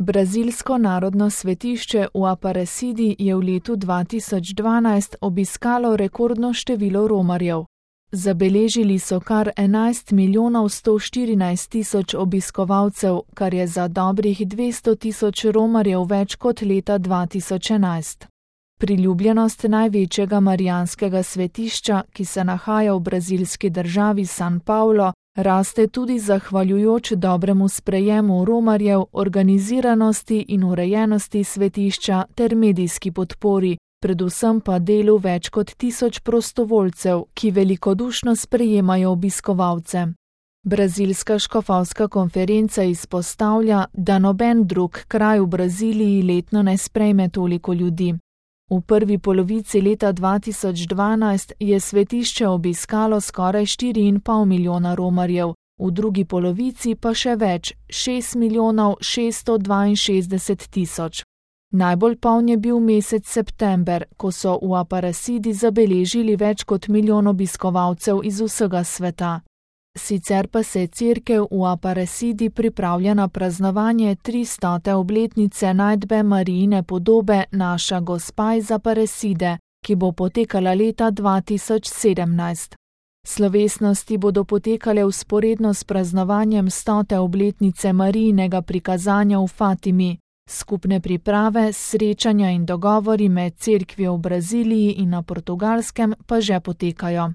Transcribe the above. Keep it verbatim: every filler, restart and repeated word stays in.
Brazilsko narodno svetišče v Aparecidi je v letu dva tisoč dvanajst obiskalo rekordno število romarjev. Zabeležili so kar enajst milijonov sto štirinajst tisoč obiskovalcev, kar je za dobrih dvesto tisoč romarjev več kot leta dva tisoč enajst. Priljubljenost največjega marijanskega svetišča, ki se nahaja v brazilski državi San Paulo, raste tudi zahvaljujoč dobremu sprejemu romarjev, organiziranosti in urejenosti svetišča ter medijski podpori, predvsem pa delu več kot tisoč prostovoljcev, ki velikodušno sprejemajo obiskovalce. Brazilska škofovska konferenca izpostavlja, da noben drug kraj v Braziliji letno ne sprejme toliko ljudi. V prvi polovici leta dva tisoč dvanajst je svetišče obiskalo skoraj štiri in pol milijona romarjev, v drugi polovici pa še več, šest milijonov šeststo dvainšestdeset tisoč. Najbolj poln je bil mesec september, ko so v Aparecidi zabeležili več kot milijon obiskovalcev iz vsega sveta. Sicer pa se cerkev v Aparecidi pripravlja na praznovanje tristote obletnice najdbe Marijine podobe Naša Gospa iz Aparecide, ki bo potekala leta dva tisoč sedemnajst. Slovesnosti bodo potekale vzporedno s praznovanjem stote obletnice Marijinega prikazanja v Fatimi. Skupne priprave, srečanja in dogovori med cerkvijo v Braziliji in na Portugalskem pa že potekajo.